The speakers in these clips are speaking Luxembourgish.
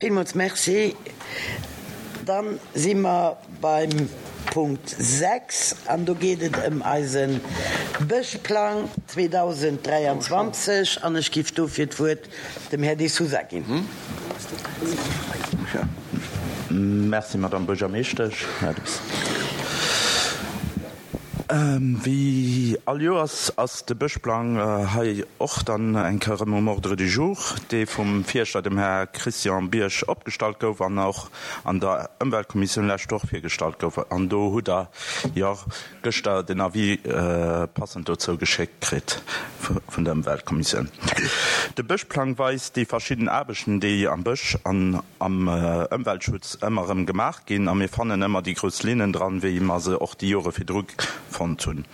Villmools Merci. Dann si mer beim Punkt 6 an do geet et ëm eise Bëschplang 2023 an ech giff dofir d'Wuert dem Här De Sousa ginn. Merci, Madame Buergermeeschtesch. Wéi all Joers ass de Bëschplang hei och dann eng Kéier erëm um Ordre du jour, dee vum Fierschter, dem Här Christian Bierg, opgestallt gouf an och an der Ëmweltkommissioun lescht Woch virgestallt gouf. An do hutt Der jo gëschter den Avis passend dozou geschéckt kritt vun der Ëmweltkommissioun. De Bëschplang weist déi verschidden Aarbechten, déi am Bësch an am Ëmweltschutz ëmmer erëm gemaach ginn a mir fannen ëmmer déi grouss Linnen dran, wéi mer se och déi Jore virdru fonnt hunn.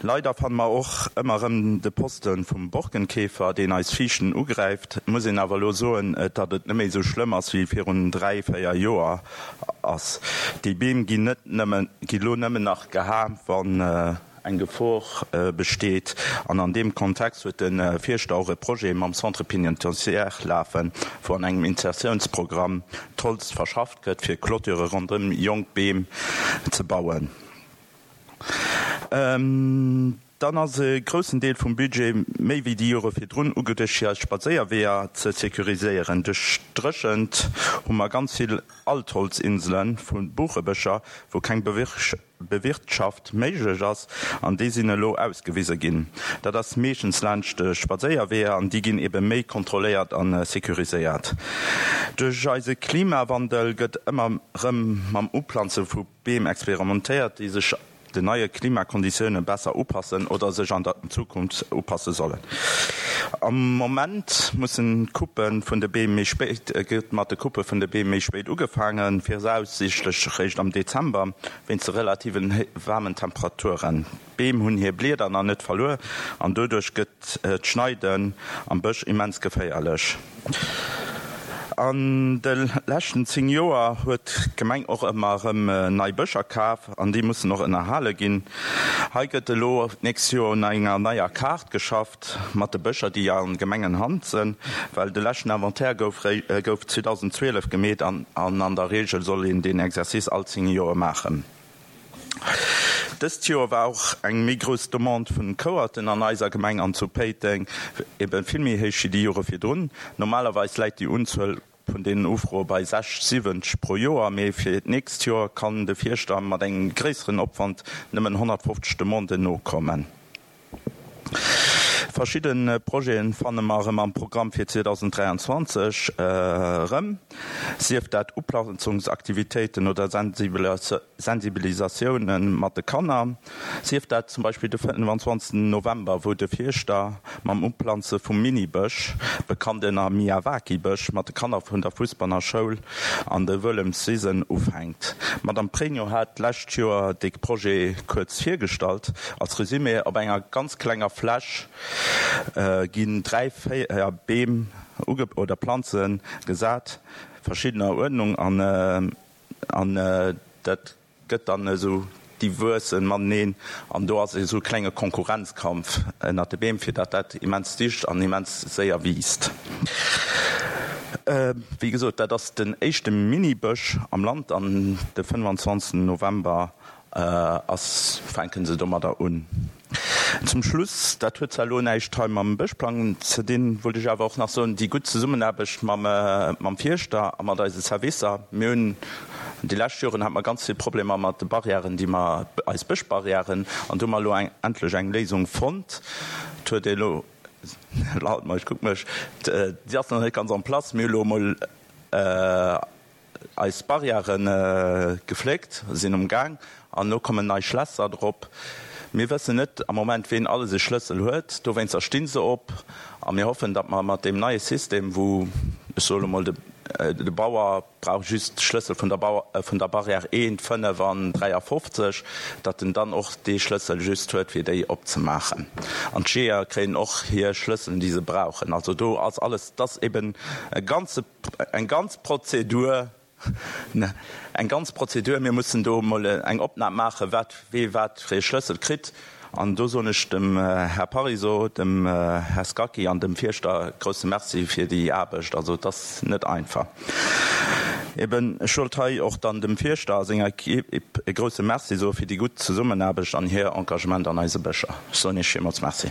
Leider fanne mer och ëmmer erëm de Poste vum Borkenkäfer, deen eis Fiichten ugräift. Et muss een awer elo soen, datt et net méi esou schlëmm ass wéi virun 3, 4 Joer ass. Déi Beem ginn net nëmmen, gi lo nëmmen nach geha wann. Eng Gefor besteet an an deem Kontext huet de Fierschter och e Projet mam Centre pénitentiaire lafen, wou an engem Insertiounsprogramm d'Holz verschafft gëtt, fir Clôture ronderëm jonk Beem ze bauen. Dann ass e groussen Deel vum Budget, méi wéi déi Jore virdrun, ugeduecht fir eis Spadséierweeër ze sécuriséieren. Duerch d'Dréchent hu mer ganz vill Altholzinsele vu Buchebëscher, wou keng Bewirtschaft méiglech ass, an déi sinn elo ausgewise ginn. Dat ass meeschtens laanscht de Spadséierweeër an déi ginn ebe méi kontrolléiert a sécuriséiert. Duerch eise Klimawandel gëtt ëmmer rëm mam Uplanze vu Beem experimentéiert, déi sech den neie Klimakonditioune besser upassen oder sech an der Zukunft upasse sollen. Am Moment mussen d'Couppe vun de Beem méi spéit gëtt mat de Couppe vun de Beem méi spéit ugefaangen, viraussiichtlech réischt am Dezember, wéinst de relativen waarmen Temperaturen. D'Beem hunn hir Blieder nach net verluer an doduerch gëtt d'Schneiden am Bësch immens geféierlech. An de leschten 10 Joer huet d'Gemeng och ëmmer erëm nei Bëscher kaf an déi mussen och ënnerhale ginn. Hei gëtt elo d'nächst Joer un enger neier Kaart geschafft mat de Bëscher, déi a Gemengenhand sënn, well de leschten Inventaire gouf gouf 2012 gemeet an an der Reegel soll een deen Exercice all 10 Joer maachen. Dëst Joer war och eng méi grouss Demande vun Kouerten an eiser Gemeng an zu Péiteng, eben vill méi héich wéi déi Jore virdrun. Normalerweis läit déi Unzuel vun deenen Ufroe bei 60, 70 pro Joer, mee fir d'nächst Joer kann de Fierschter mat engem gréisseren Opwand nëmmen 150 Demanden nokommen. Verschidde Projete fanne mer erëm am Programm fir 2023 erëm, sief dat Uplanzungsaktivitéiten oder Sensibilisatioune mat de Kanner, sief dat zum Beispill de 25 November, wou de Fierschter mam Uplanze vum Mini-Bësch, bekannt ënner Miyawaki-Bësch, mat de Kanner vun der Fuesbaner Schoul an de Wëllemswisen ufänkt. D'Madame Pregno hat d'lescht Joer dee Projet kuerz virgestallt. Als Resumé, Op enger ganz klenger Fläch ginn 3, 4 Beem oder Planze gesat, verschiddener Uerdnung, an dat gëtt dann esou, déi wuessen mateneen an do ass esou e klenge Konkurrenzkampf ënnert de Beem, fir datt dat immens dicht an immens séier wiisst. Wéi gesot, dat ass den éischte Mini-Bësch am Land an de 25 November ass, fänke se domadder un. Zum Schluss, dat huet zwar elo näischt hei mam Bëschplang ze dinn, wollt ech awer och nach soen, déi gutt Zesummenaarbecht mam Fierschter a mat eise Servicer. Mir hunn déi lescht Joren hate mer ganz vill Problemer mat de Barrièren, déi mer, eis Bëschbarrièren, an do hu mer elo endlech eng Léisung fonnt. Et huet ee elo, lalt mer, ech kuck mech, déi ass nach net ganz en place, mir hu elo emol Eis Barrièren gefléckt, sinn um Gaang an elo kommen nei Schlässer drop. Mir wëssen net am Moment ween alles e Schlëssel huet, dowéinster sti se op a mir hoffen, datt mer mat deem neie System, wou, ech soe lo mol, de Bauer brauch just d'Schlëssel vun der vun der Barrière 1, 5 an 53, datt en dann och dee Schlëssel just huet fir déi opzemaachen. An d'Jeeër kréien och hir Schlësselen, déi se brauchen. Also do ass alles, et ass eben e ganze. Eng ganz Prozedur, eng ganz Prozedur. Mir mussen do emol eng Opnam maachen, wat wee wat fir ee Schlëssel kritt. An do soen ech dem Här Parisot, dem Här Scacchi an dem Fierschter e grousse Merci fir déi Aarbecht. Also et ass net einfach. Eben, ech wollt hei och dann dem Fierschter a senger Equipe e grousse Merci soe fir déi gutt Zesummenaarbecht an hir Engagement an eise Bëscher. Ech soen Iech villmools Merci.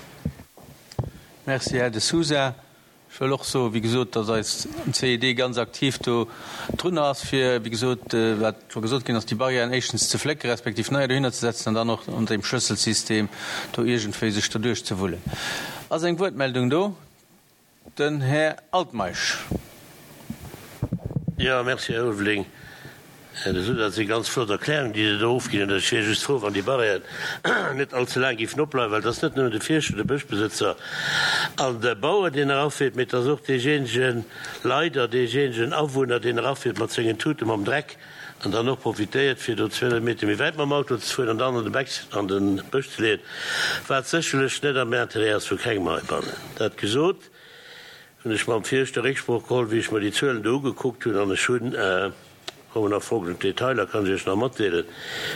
Merci, Här De Sousa. Ech wëll och soen, wéi gesot, datt eis CED ganz aktiv do drun ass, fir, wéi gesot, wat scho gesot ginn ass, déi Barrièren éischtens ze flécken, respektiv neier dohinner ze setzen an dann och an deem Schlësselsystem do iergendwéi sech derduerch ze wullen. Ass eng Wuertmeldung do? Den Här Altmeisch. Jo, merci, Här Ulveling. Här De Sousa, dat si ganz flott Erklärungen, déi Dir do ofginn hutt. Ech wier just frou, wann déi Barrièren net allze laang géifen opbleiwen, well et ass net nëmmen de Fierschter, de Bëschbesëtzer an de Bauer, deen erafiert, mee et ass och deejéinegen, leider deejéinegen Awunner, deen erafiert mat sengen Tute mam Dreck an dann och profitéiert, fir do 200 Meter méi wäit mam Auto ze fueren an dann an de Beck, an de Bësch ze leeën, wat sécherlech net am Interêt ass vu kengem heibannen. Dat gesot, hunn ech mam Fierschter Récksprooch geholl, wéi ech mer déi Zuelen do ugekuckt hunn, an ech hunn, kommen nach folgend Detailer, kann ech Iech nach matdeelen,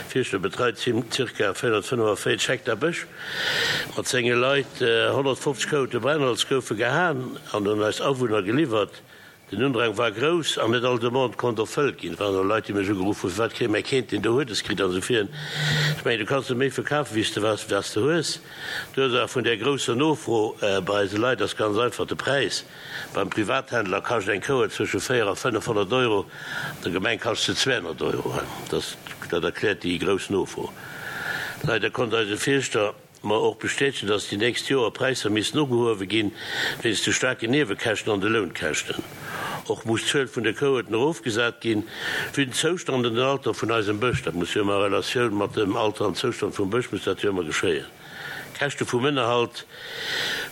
Fierschter betreit zirka 445 Hektar Bësch mat senge Leit, 150 Kouete Brennholz goufe gehaen an un eis Awunner geliwwert. Den Undrang war grouss an net all Demande konnt erfëllt ginn. Et waren och Leit, déi mech ugeruff hunn, Firwat kréie mär keent, deen do Huedes kritt an esou virun. Ech mengen, du kanns net méi verkafen, wéi s de wat s de hues. D'Ursaach vun där grousser Nofro bei eise Leit ass ganz einfach de Präis. Beim Privathändler kascht eng Kouer zwësche 4 a 500 Euro, an der Gemeng kascht se 200 Euro. Dat erkläert déi grouss Nofro. Leider konnt eise Fierschter mer och bestätegen, dass déi nächst Joer Präisser missten ugehuewe ginn, wéinst de staarken Niewekäschten an de Lounkäschten. Och muss d'Zuel vun de Kouerten erofgesat ginn, vue den Zoustand an den Alter vun eisem Bësch. Dat muss jo ëmmer a Relatioun mat dem Alter an Zoustand vum Bësch muss dat jo ëmmer geschéien. Käschte vum Ënnerhalt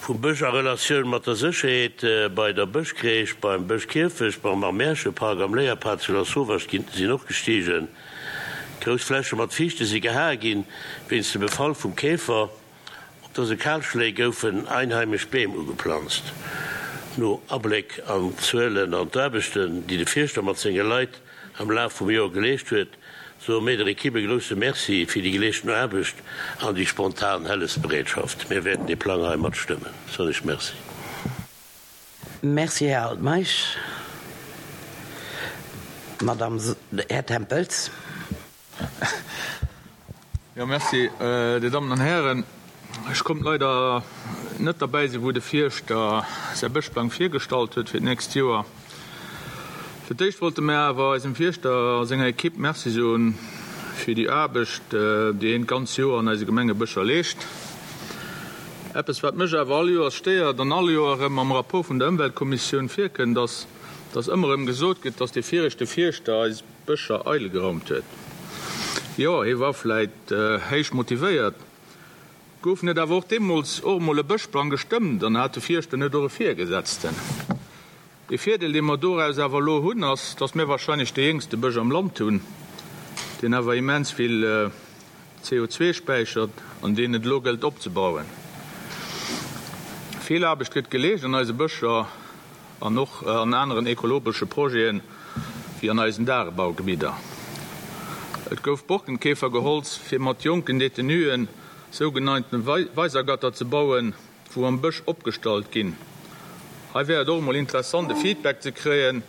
vum Bësch a Relatioun mat der Sécherheet bei der Bëschcrèche, beim Bëschkierfecht, beim am Märchepark, am Léierpad zu Lasauvage ginn sinn och gestigen. Grouss Fläche mat Fiichte si gehae ginn wéinst dem Befall vum Käfer. Op dëse Kalschléi goufen einheimesch Beem ugeplanzt. No Abléck an d'Zuelen an d'Aarbechten, déi de Fierschter mat senge Leit am Laf vum Joer geleescht huet, soe mir der Equipe e grousse Merci fir déi geleeschten Aarbecht an déi spontan Hëllefsbereetschaft. Mir wäerten dee Plang hei mat stëmmen. Soen ech Merci. Merci, Här Altmeisch. Madame, Här Tempels. Jo, merci, Dir Dammen an Hären. Ech konnt leider net derbäi sinn, wou de Fierschter säi Bëschplang virgestallt huet fir d'nächst Joer. Fir d'éischt wollte mär awer eisem Fierschter a senger Ekipp Merci soen fir déi Aarbecht, déi hien d'ganz Joer an eise Gemengebëscher leescht. Eppes, wat mech awer all Joers stéiert an all Joer erëm am Rapport vun der Ëmweltkommissioun virkënnt, ass, dass ëmmer erëm gesot gëtt, dass dee viregte Fierschter eis Bëscher eidel geraumt huet. Jo, hie war vläit héich motivéiert. Gouf net awer och deemools och emol e Bëschplang gestëmmt an hat de Fierschter net och e Virgesetzten? Ee Virdeel, dee mer doraus awer elo hunn, ass, dass mir wahrscheinlech dee jéngste Bësch am Land hunn, deen awer immens vill CO2 späichert an deen et elo gëllt opzebauen. Vill Aarbecht gëtt geleescht an eise Bëscher. An och an aneren ekologesche Projeten, wéi an eisen Dagebaugebidder. Et gouf Borkenkäfergeholz, fir mat jonken Detenuen sougenannten Weisergatter ze bauen, wou am Bësch opgestallt ginn. Hei wär et och emol interessant e Feedback ze kréien,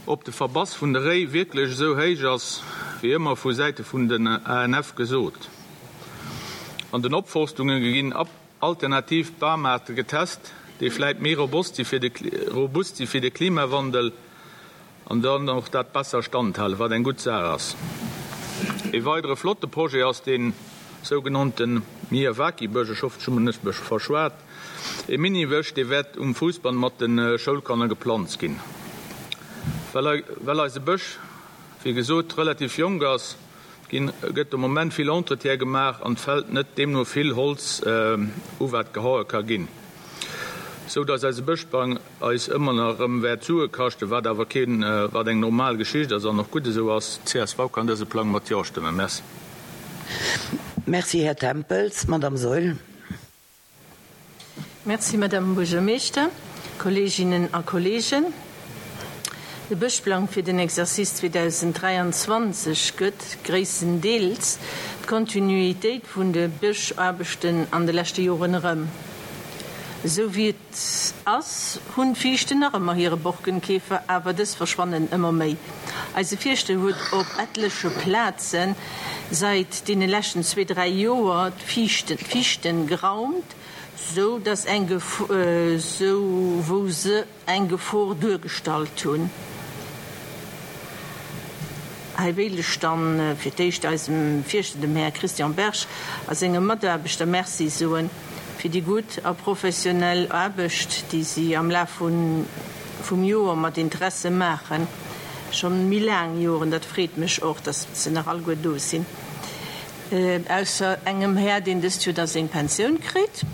ob de Verbass vun de Réi wierklech esou héich ass, wéi ëmmer vu Säite vun den ANF gesot. An den Opforstunge ginn Alternativ Bamaarte getest, déi vläit méi robust si fir de robust si fir de Klimawandel an dann och dat besser standhalen, wat eng gutt Saach ass. Ee weidere flotte Projet ass dee sougenannte Miyawaki-Bësch, ech hoffen, ech hu mech net verschwat, ee Mini-Bësch, dee wäert um Fousbann mat de Schoulkanner geplanzt ginn. Well well eise Bësch, wéi gesot, relativ jonk ass, Ginn, gëtt de Moment vill Entretien gemaach an fällt net deemno vill Holz u wat gehaue ka ginn, sou dass eise Bëschplang eis ëmmer nach erëm wäert Sue kaschten, wat awer keen, wat eng normal Geschicht ass an och gutt esou ass. Csv kann dëse Plang mat Jo stëmmen. Merci. Merci, Här Tempels. Madame Saeul. Merci, Madame Buergermeeschter, Kolleeginnen a Kolleegen. De Bëschplang fir den Exercice 2023 gëtt gréisstendeels d'Kontinuitéit vun de Bëschaarbechten an de leschte Joren erëm. Esou wéi et ass, hunn d'Fiichten nach ëmmer hire Borkenkäfer, awer dës verschwannen ëmmer méi. Eise Fierschter huet op etleche Plaze seit deene leschten zwee, dräi Joer d'Fiichten geraumt, sou dass eng sou wou se eng Gefor duergestallt hunn. Hei wéilt ech dann fir d'éischt eisem Fierschter, dem Här Christian Berg, a senge Mataarbechter Merci soen fir déi gutt a professionell Aarbecht, déi si am Laf vum Joer mat Interesse maachen, schonn méi laang Joren. Dat freet mech och, dass se nach alleguer do sinn, ausser engem Här, deen dëst Joer da seng Pensioun kritt.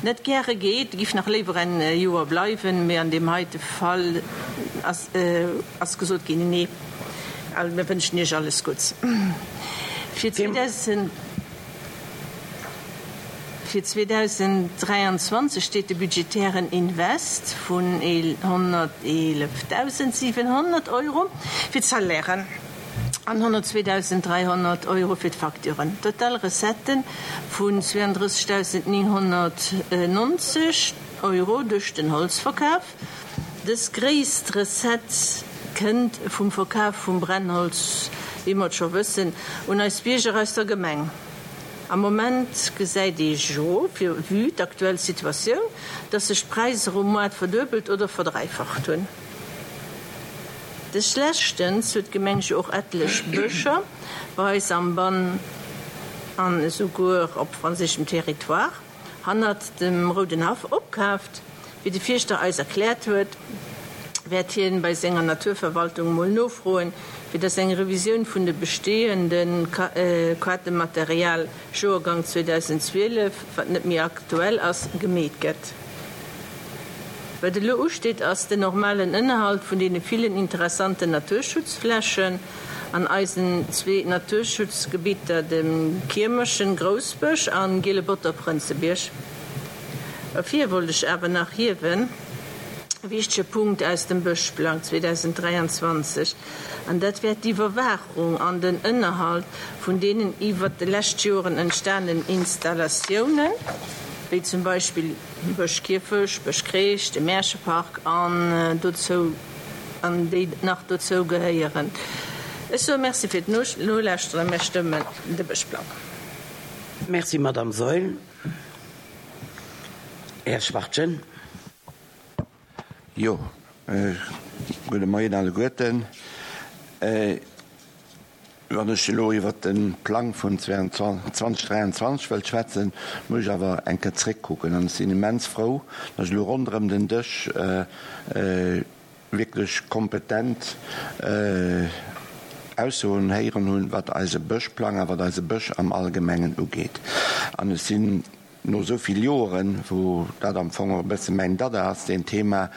Net gäre geet, giff nach léiwer en Joer bleiwen, mee an deem heite Fall ass gesot ginn, nee. Mir wënschen Iech alles Gutts fir 2023. Steet de budgetären Invest vun 111.700 Euro fir d'Salairen. An 102.300 Euro fir d'Facturen. Total Recettë vun 32.990 Euro duerch den Holzverkaf. Dës gréisst Recette kënnt vum Verkaf vum Brennholz, wéi mer et scho wëssen, un eis Bierger aus der Gemeng. Am Moment gesäit ee jo, vue d'aktuell Situatioun, dass sech d'Präisser um Moart verduebelt oder verdräifacht hunn. Des leschtens huet d'Gemeng jo och etlech Bëscher bei eis am Bann an esouguer op franséischem Territoire hannert dem Rouden Haff opkaaft. Wéi de Fierschter eis erkläert huet, wäert hien bei senger Naturverwaltung mol nofroen, fir dass eng Revisioun vun de bestehende Kaartematerial Joergang 2012, wat net méi aktuell ass, gemeet gëtt. Wat elo usteet ass den normalen Ënnerhalt vun deene villen interessanten Naturschutzflächen an eisen zwee Naturschutzgebitter, dem Kiermerchen Groussbësch an Gielebotter Prënzebierg. Ervir wollt ech awer nach hiewen e wichtege Punkt aus dem Bëschplang 2023, an dat wär d'Iwwerwaachung an den Ënnerhalt vun deenen iwwert de lescht Joren entstanen Installatiounen, wéi zum Beispill Bëschkierfech, Bëschkreesch, de Märchepark an dozou an déi nach dozou gehéieren. Ech soe Merci fir d'Nolauschteren a mir stëmmen de Bëschplang. Merci, Madame Saeul. Här Schwachtgen. Jo, gudde Moien alleguerten. Wann ech elo iwwert de Plang vun 2023 wëllt schwätzen, muss ech awer eng Kéier zréckkucken. An ech sinn immens frou, datt ech elo ronderëm den Dësch wierklech kompetent Aussoen héieren hunn, wat eise Bëschplang a wat eise Bësch am Allgemengen ugeet. An ech sinn no esou vill Joeren, wou dat am Fong och e bësse mäin Dada ass, deen Thema,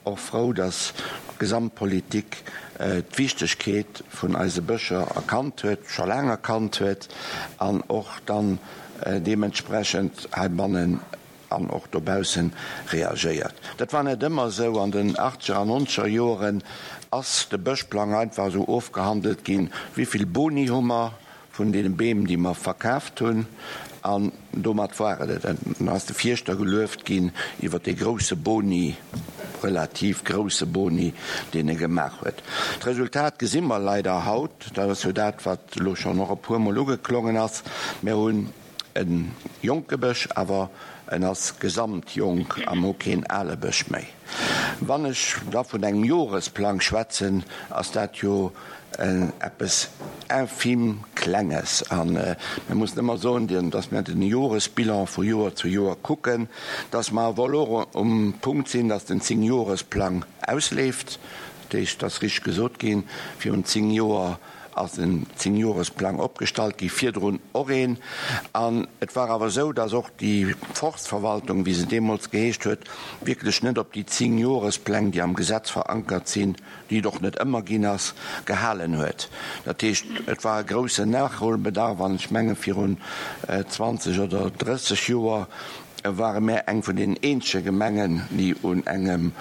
och frou, datt d'Gesamtpolitik d'Wichtegkeet vun eise Bëscher erkannt huet, scho laang erkannt huet an och dann deementsprechend heibannen an och dobausse reagéiert. Dat war net ëmmer esou. An den achtzeger an nonzeger Joeren ass de Bëschplang einfach esou ofgehandelt ginn, Wéi vill Boni hu mer? Vun deene Beem, déi mer verkaaft hunn, an domat war et et. Dann ass de Fierschter gelueft ginn iwwer dee grousse Boni, relativ grousse Boni, deen e gemaach huet. D'Resultat gesi mer leider haut, dat ass jo dat, wat elo schonn och e puermol ugeklongen ass, Mir hunn e jonke Bësch, awer en ass gesamt jonk a mer hu keen ale Bësch méi. Wann ech da vun engem Joresplang schwätzen, ass dat jo eppes infim Klenges. A mir mussen ëmmer soen, datt mir den Joresbilan vu Joer zu Joer kucken, datt mer awer elo um Punkt sinn, datt den Zéngjoresplang ausleeft. Dat heescht, et ass richteg gesot ginn, virun 10 Joer ass en Zéngjoresplang opgestallt gi, virdrun och een. An et war awer esou, datt och déi Forstverwaltung, wéi se deemools geheescht huet, wierklech net op déi Zéngjorespläng, déi am Gesetz verankert sinn, déi et och net ëmmer ginn ass, gehalen huet. Dat heescht, et war e groussen Nachholbedarf an ech menge virun 20 oder 30 Joer ware mär eng vun den eenzege Gemengen, déi un engem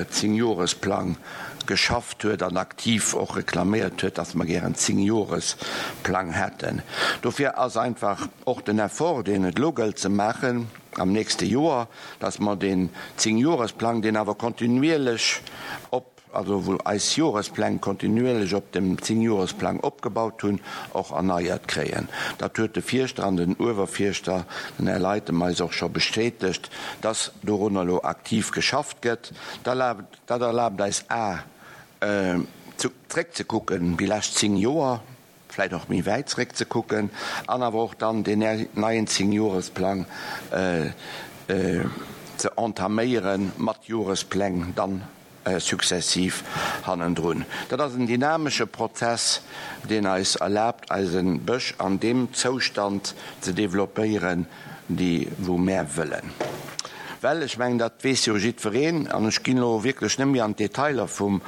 Zéngjoresplang. geschafft huet an aktiv och reklaméiert huet, dass mer gären Zéngjoresplang hätten. Dofir ass einfach och den Effort, deen et elo gëllt ze maachen am nächste Joer, dass mer deen Zéngjoresplang, deen awer kontinuierlech op, also wou eis Jorespläng kontinuierlech op dem Zéngjoresplang opgebaut hunn, och erneiert kréien. Dat huet de Fierschter an den Uewerfierschter, den Här Leytem, eis och scho bestätegt, dass dorunner elo aktiv geschafft gëtt. Dat erlaabt eis a zréckzekucken déi lescht 10 Joer, vläit och méi wäit zréckzekucken, an awer och dann deen neien Zéngjoresplang ze entaméiere mat Jorespläng dann successiv hannendrun. Dat ass en dynamesche Prozess, deen eis erlaabt, eise Bësch an deem Zoustand ze developpéieren, déi wou mär wëllen. Well ech mengen, dat weess jo jiddwereen, an ech ginn elo wierklech net méi an d'Detailer vum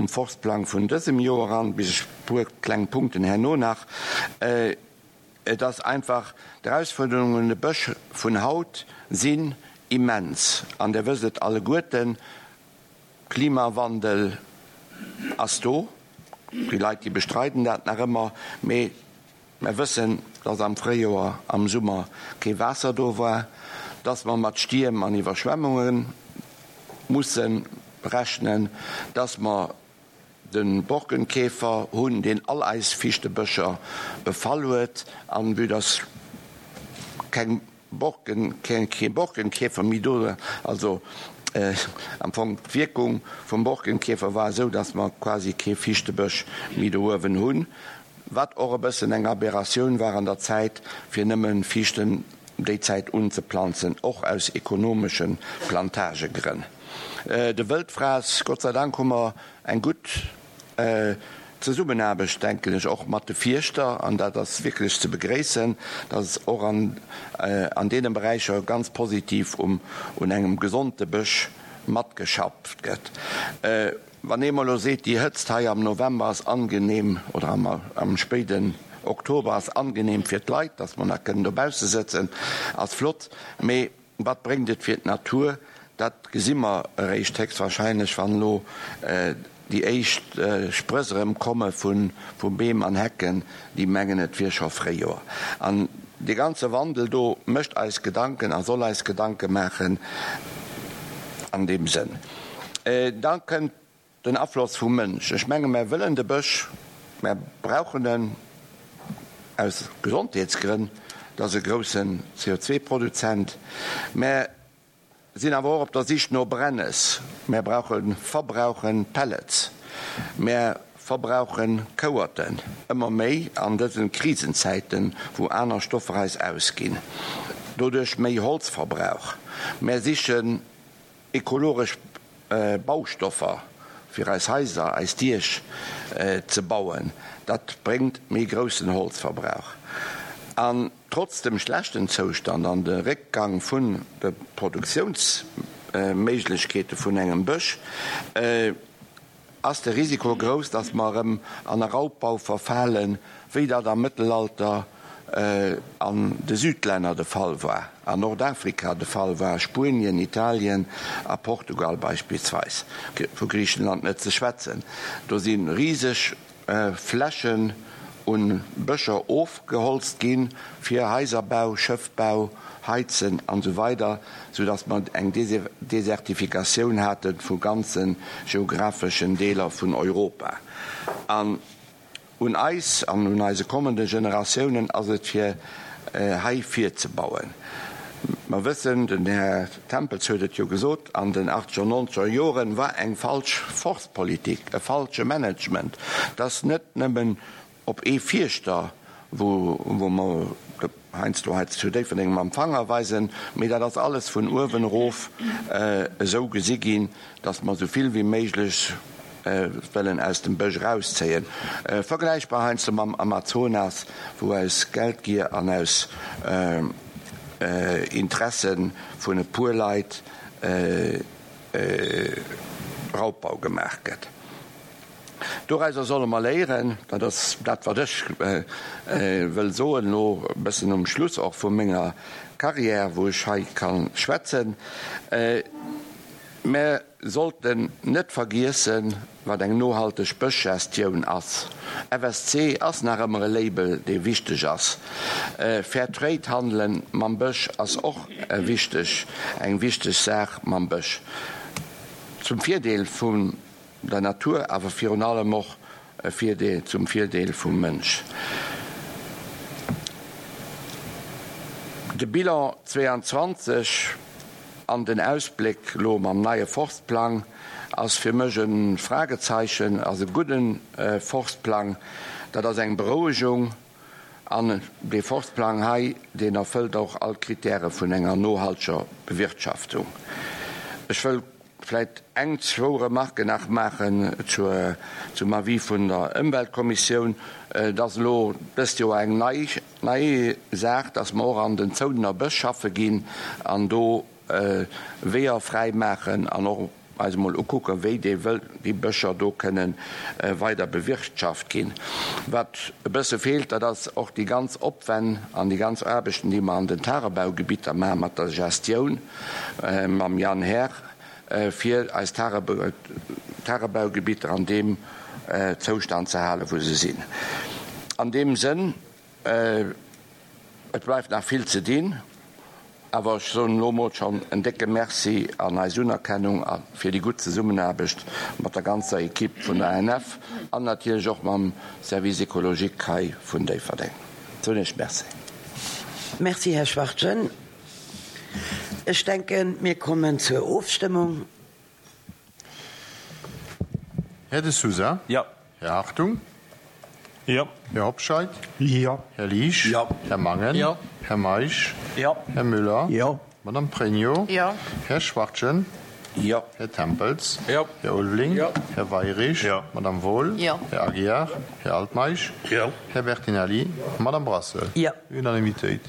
Forstplang vun dësem Joer an, bis ech e puer kleng Punkten herno nach, et ass einfach, d'Erausfuerderungen un de Bësch vun haut sinn immens. An Dir wësst et alleguerten, Klimawandel ass do, déi Leit, déi bestreiden dat nach ëmmer, mee Mer wëssen, dass am Fréijoer, am Summer kee Waasser do war, dass mer mat Stierm an Iwwerschwemmunge musse rechnen, dass mer de Borkenkäfer hunn, deen all eis Fichtebëscher befall huet, an vue dass keng Borken, kee Borkenkäfer méi do, also am Fong d'Wierkung vum Borkenkäfer war esou, dass mer quasi kee Fichtebësch méi do uewen hunn, wat och e bëssen eng Aberratioun war an der Zäit, fir nëmme Fichten déi Zäit unzeplanzen, och aus ekonomesche Plantagegrënn. De Wëldfrass, Gott sei Dank hu mer eng gutt Zesummenaarbecht, denken ech, och mat de Fierschter, an dat ass wierklech ze begréissen, dass och an deene Beräicher ganz positiv un engem gesonde Bësch matgeschafft gëtt. Wann ee mol elo seet, déi Hëtzt hei am November ass angenehm oder am spéiden Oktober ass angenehm fir d'Leit, dass mer nach kënnen dobausse sëtzen, ass flott, mee Wat bréngt et fir d'Natur? Dat gesi mer eréischt héchstwahrscheinlech, wann elo déi éischt Sprëss erëm komme vu Beem an Hecken, déi mengen, et wier scho Fréijoer. An dee ganze Wandel do mécht eis Gedanken a soll eis Gedanke maachen an deem Sënn. Da kënnt Den Afloss vum Mënsch. Ech menge mär wëllen de Bësch, mär brauchen en aus Gesondheetsgrënn, et ass e groussen CO2-Produzent. Mär sinn awer och op der Sich no Brennes, mär brauche verbrauche Pellets, mär verbrauche Kouerten, ëmmer méi an dëse Krisenzäiten, wou aner Stoffer eis ausginn, doduerch méi Holzverbrauch. Mär sichen Ekologesch Baustoffer fir eis Haiser, eis Diech ze bauen, dat bréngt méi groussen Holzverbrauch. An trotz dem schlechten Zoustand an de Réckgang vun de Produktiounsméiglechkeete vun engem Bësch, ass de Risiko grouss, datt mer erëm an e Raubbau verfalen, wéi dat am Mëttelalter an de Südlänner de Fall war, an Nordafrika de Fall war, Spuenien, Italien a Portugal beispillsweis, vu Griichenland net ze schwätzen. Do si riseg Flächen un Bëscher ofgeholzt ginn fir Haiserbau, Schëffbau, Heizen an esou weider, sou dass mer eng Desertifikatioun hate vu ganze geographeschen Deeler vun Europa. An un eis an un eise kommende Generatiounen ass et fir hei virzebauen. Mer wëssen, den Här Tempels huet et jo gesot, an den achtzeger, nonzeger Joren war eng falsch Forstpolitik, e falsche Management, dass net nëmmen op ee Fierschter, wou mer heiansdo hei zu Déifferdeng mam Fanger weisen, mee dat ass alles vun uewen erof esou gesi ginn, dass mer esou vill wéi méiglech wëllen aus dem Bësch erauszéien. Vergläichbar heiansdo mam Amazonas, wou aus Geldgier an aus Interesse vun e puer Leit Raubbau gemaach gëtt. Dorauser solle mer léieren, dat ass dat wat ech wëll soen elo e bëssen um Schluss och vu menger Carrière, wou ech hei ka schwätzen. Mär sollten net vergiessen, wat eng nohalteg Bëschgestioun ass. FSC ass nach ëmmer e Label, dee wichteg ass. Fair Trade handelen mam Bësch ass och e wichteg, eng wichteg Saach mam Bësch. Zum Virdeel vun der Natur, awer virun allem och e Virdeel, zum Virdeel vum Mënsch. De Bilan 22 an den Ausbléck elo mam neie Forstplang ass fir mech e Fragezeichen, ass e gudde Forstplang, dat ass eng Berouegung an dee Forstplang hei, deen erfëllt och all d'Kritäre vun enger nohalteger Bewirtschaftung. Ech wëll vläit eng, zwou Remarken nach maachen zur, zum Avis vun der Ëmweltkommissioun. Et ass elo dëst Joer eng nei, nei Saach, dass mer och an den Zoudener Bësch schaffe ginn an do Weeër fräi maachen an och eis emol ukucken, wéi déi wëll, déi Bëscher do kënnen weider bewirtschaft ginn. Wat e bësse feelt, dat ass och déi ganz Opwänn an déi ganz Aarbechten, déi mer an den Tagebaugebitter maachen, mat der Gestioun mam Jan Herr, fir eis Tagebaugebitter an deem Zoustand ze halen, wou se sinn. An deem Sënn, et bleift nach vill ze dinn, awer ech soen elo emol schonn en décke Merci an eis Unerkennung fir déi gutt Zesummenaarbecht mat der ganzer Equipe vun der ANF an natierlech och mam Service écologique hei vun Déifferdeng. Soen Iech Merci. Merci, Här Schwachtgen. Ech denken, mir kommen zur Ofstëmmung. Här De Sousa? Jo. Här Hartung? Jo. Här Hobscheit? Jo. Här Liesch? Jo. Här Mangen? Jo. Här Meisch? Jo. Här Müller? Jo. Madame Pregno? Jo. Här Schwachtgen? Jo. Här Tempels? Jo. Här Ulveling? Jo. Här Weirich? Jo. Madame Wohl? Jo. Här Aguiar? Här Altmeisch? Jo. Här Bertinelli? Madame Brassel? Jo. Unanimitéit.